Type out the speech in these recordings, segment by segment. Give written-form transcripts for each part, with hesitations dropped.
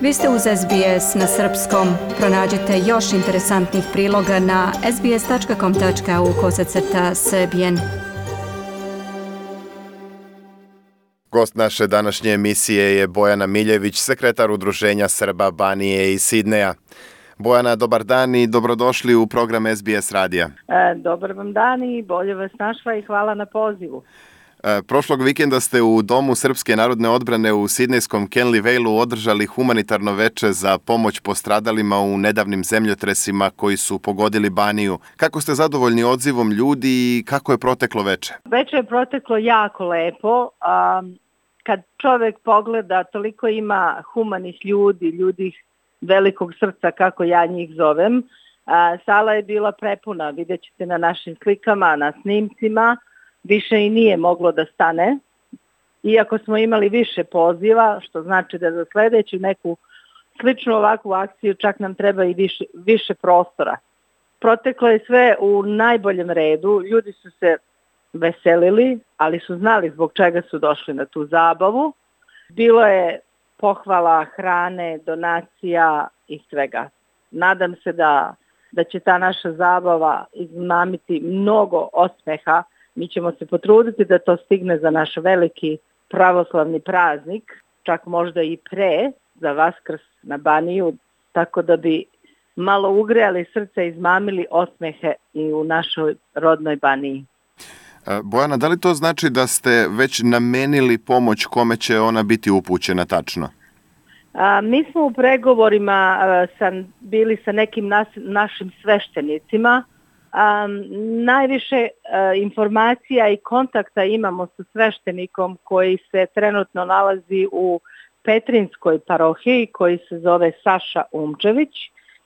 Vi ste uz SBS na srpskom. Pronađite još interesantnih priloga na sbs.com.au/srbijen. Gost naše današnje emisije je Bojana Miljević, sekretar Udruženja Srba Banije i Sidneja. Bojana, dobar dan i dobrodošli u program SBS radija. Dobar vam dan i bolje vas našla i hvala na pozivu. Prošlog vikenda ste u Domu Srpske narodne odbrane u sidnejskom Kenley Valeu održali humanitarno veče za pomoć postradalima u nedavnim zemljotresima koji su pogodili Baniju. Kako ste zadovoljni odzivom ljudi i kako je proteklo veče? Veče je proteklo jako lepo. Kad čovjek pogleda, toliko ima humanih ljudi velikog srca, kako ja njih zovem. Sala je bila prepuna, vidjet ćete na našim slikama, na snimcima. Više i nije moglo da stane, iako smo imali više poziva, što znači da za sljedeću neku sličnu ovakvu akciju čak nam treba i više prostora. Proteklo je sve u najboljem redu, ljudi su se veselili, ali su znali zbog čega su došli na tu zabavu. Bilo je pohvala, hrane, donacija i svega. Nadam se da će ta naša zabava izmamiti mnogo osmeha. Mi ćemo se potruditi da to stigne za naš veliki pravoslavni praznik, čak možda i pre, za Vaskrs na Baniju, tako da bi malo ugrejali srce i izmamili osmehe i u našoj rodnoj Baniji. Bojana, da li to znači da ste već namenili pomoć kome će ona biti upućena tačno? Mi smo u pregovorima bili sa nekim našim sveštenicima. Najviše informacija i kontakta imamo sa sveštenikom koji se trenutno nalazi u Petrinjskoj parohiji, koji se zove Saša Umčević,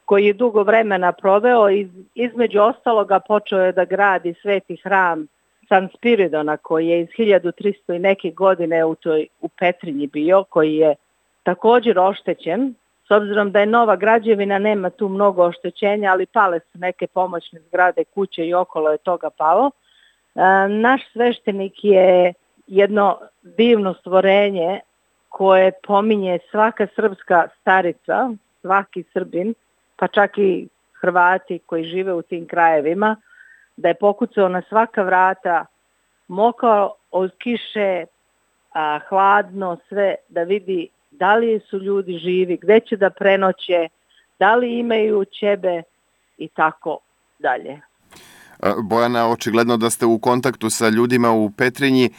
koji je dugo vremena proveo i između ostaloga počeo je da gradi sveti hram San Spiridona, koji je iz 1300 i neke godine u Petrinji bio, koji je također oštećen. S obzirom da je nova građevina, nema tu mnogo oštećenja, ali pale su neke pomoćne zgrade, kuće i okolo je toga palo. Naš sveštenik je jedno divno stvorenje koje pominje svaka srpska starica, svaki Srbin, pa čak i Hrvati koji žive u tim krajevima, da je pokucao na svaka vrata, mokao od kiše, hladno sve, da vidi da li su ljudi živi, gde će da prenoće, da li imaju ćebe i tako dalje. Bojana, očigledno da ste u kontaktu sa ljudima u Petrinji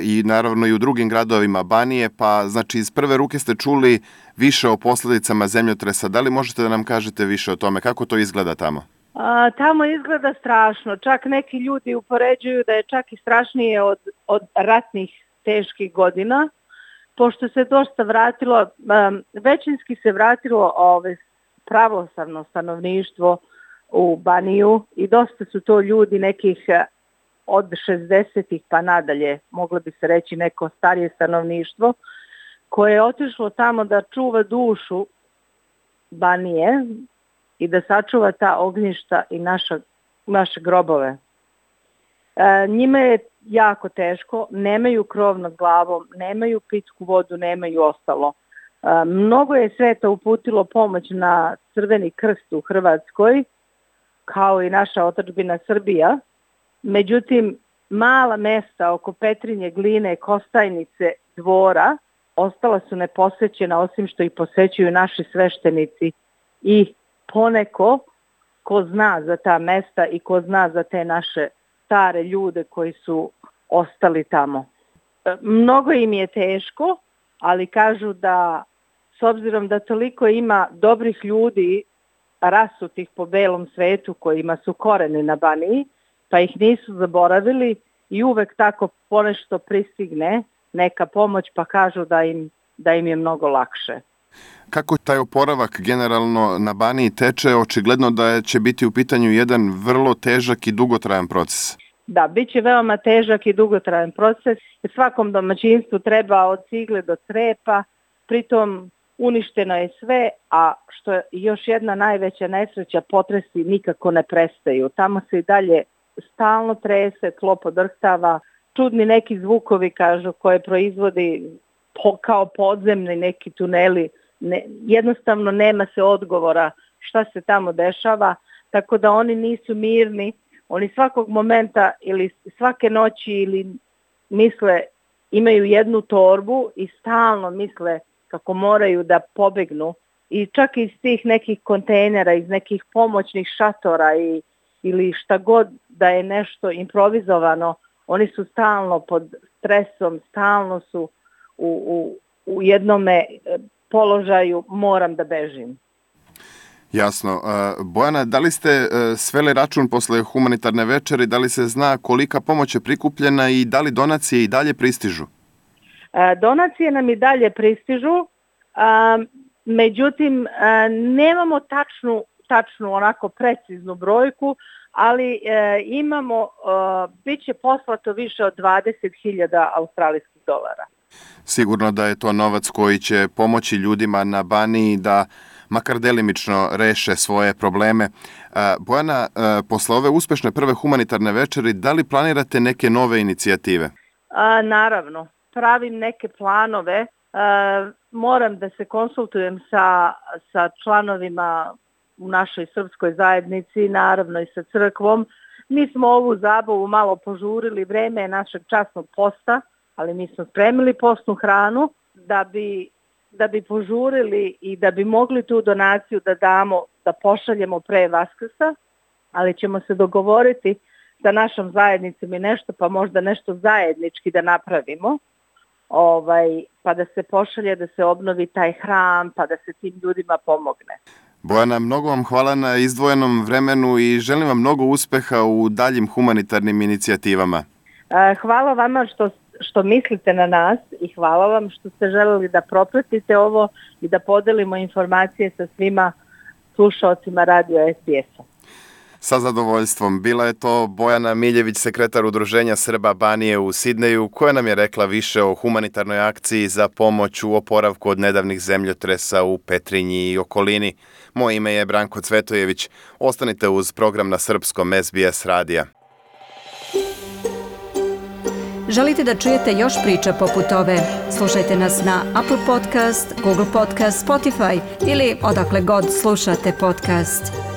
i naravno i u drugim gradovima Banije, pa znači iz prve ruke ste čuli više o posljedicama zemljotresa. Da li možete da nam kažete više o tome? Kako to izgleda tamo? Tamo izgleda strašno. Čak neki ljudi upoređuju da je čak i strašnije od ratnih teških godina. Pošto se dosta vratilo, većinski se vratilo pravoslavno stanovništvo u Baniju i dosta su to ljudi nekih od 60-ih pa nadalje, moglo bi se reći neko starije stanovništvo, koje je otišlo tamo da čuva dušu Banije i da sačuva ta ognjišta i naše grobove. Njima je jako teško, nemaju krov nad glavom, nemaju pitku vodu, nemaju ostalo. Mnogo je sveta uputilo pomoć na Crveni krst u Hrvatskoj, kao i naša otadžbina Srbija. Međutim, mala mesta oko Petrinje, Gline, Kostajnice, Dvora ostala su neposećena, osim što ih posećuju naši sveštenici i poneko ko zna za ta mesta i ko zna za te naše stare ljude koji su ostali tamo. Mnogo im je teško, ali kažu da s obzirom da toliko ima dobrih ljudi rasutih po belom svetu kojima su koreni na Baniji, pa ih nisu zaboravili i uvek tako ponešto pristigne neka pomoć, pa kažu da im je mnogo lakše. Kako taj oporavak generalno na Baniji teče? Očigledno da će biti u pitanju jedan vrlo težak i dugotrajan proces. Da, bit će veoma težak i dugotrajan proces. Svakom domaćinstvu treba od cigle do crepa, pritom uništeno je sve, a što je još jedna najveća nesreća, potresi nikako ne prestaju. Tamo se i dalje stalno trese, tlo podrhtava, čudni neki zvukovi, kažu, koje proizvodi kao podzemni neki tuneli jednostavno nema se odgovora šta se tamo dešava, tako da oni nisu mirni, oni svakog momenta ili svake noći ili misle, imaju jednu torbu i stalno misle kako moraju da pobegnu i čak iz tih nekih kontejnera, iz nekih pomoćnih šatora ili šta god da je nešto improvizovano, oni su stalno pod stresom, stalno su u jednome položaju moram da bežim. Jasno. Bojana, da li ste sveli račun posle humanitarne večeri, da li se zna kolika pomoć je prikupljena i da li donacije i dalje pristižu? Donacije nam i dalje pristižu, međutim nemamo tačnu onako preciznu brojku, ali imamo, bit će poslato više od 20.000 australijskih dolara. Sigurno da je to novac koji će pomoći ljudima na Baniji da makar delimično reše svoje probleme. Bojana, posle ove uspešne prve humanitarne večeri, da li planirate neke nove inicijative? Naravno, pravim neke planove. Moram da se konsultujem sa članovima u našoj srpskoj zajednici, naravno i sa crkvom. Mi smo ovu zabavu malo požurili, vreme je našeg časnog posta, ali mi smo spremili postnu hranu da bi požurili i da bi mogli tu donaciju da damo, da pošaljemo pre Vaskrsa, ali ćemo se dogovoriti sa našom zajednicom i nešto, pa možda nešto zajednički da napravimo, pa da se pošalje, da se obnovi taj hram, pa da se tim ljudima pomogne. Bojana, mnogo vam hvala na izdvojenom vremenu i želim vam mnogo uspeha u daljim humanitarnim inicijativama. Hvala vama što mislite na nas i hvala vam što ste želeli da propratite ovo i da podelimo informacije sa svima slušaocima radio SBS-a. Sa zadovoljstvom. Bila je to Bojana Miljević, sekretar Udruženja Srba Banije u Sidneju, koja nam je rekla više o humanitarnoj akciji za pomoć u oporavku od nedavnih zemljotresa u Petrinji i okolini. Moje ime je Branko Cvetojević. Ostanite uz program na srpskom SBS radija. Želite da čujete još priča poput ove? Slušajte nas na Apple Podcast, Google Podcast, Spotify ili odakle god slušate podcast.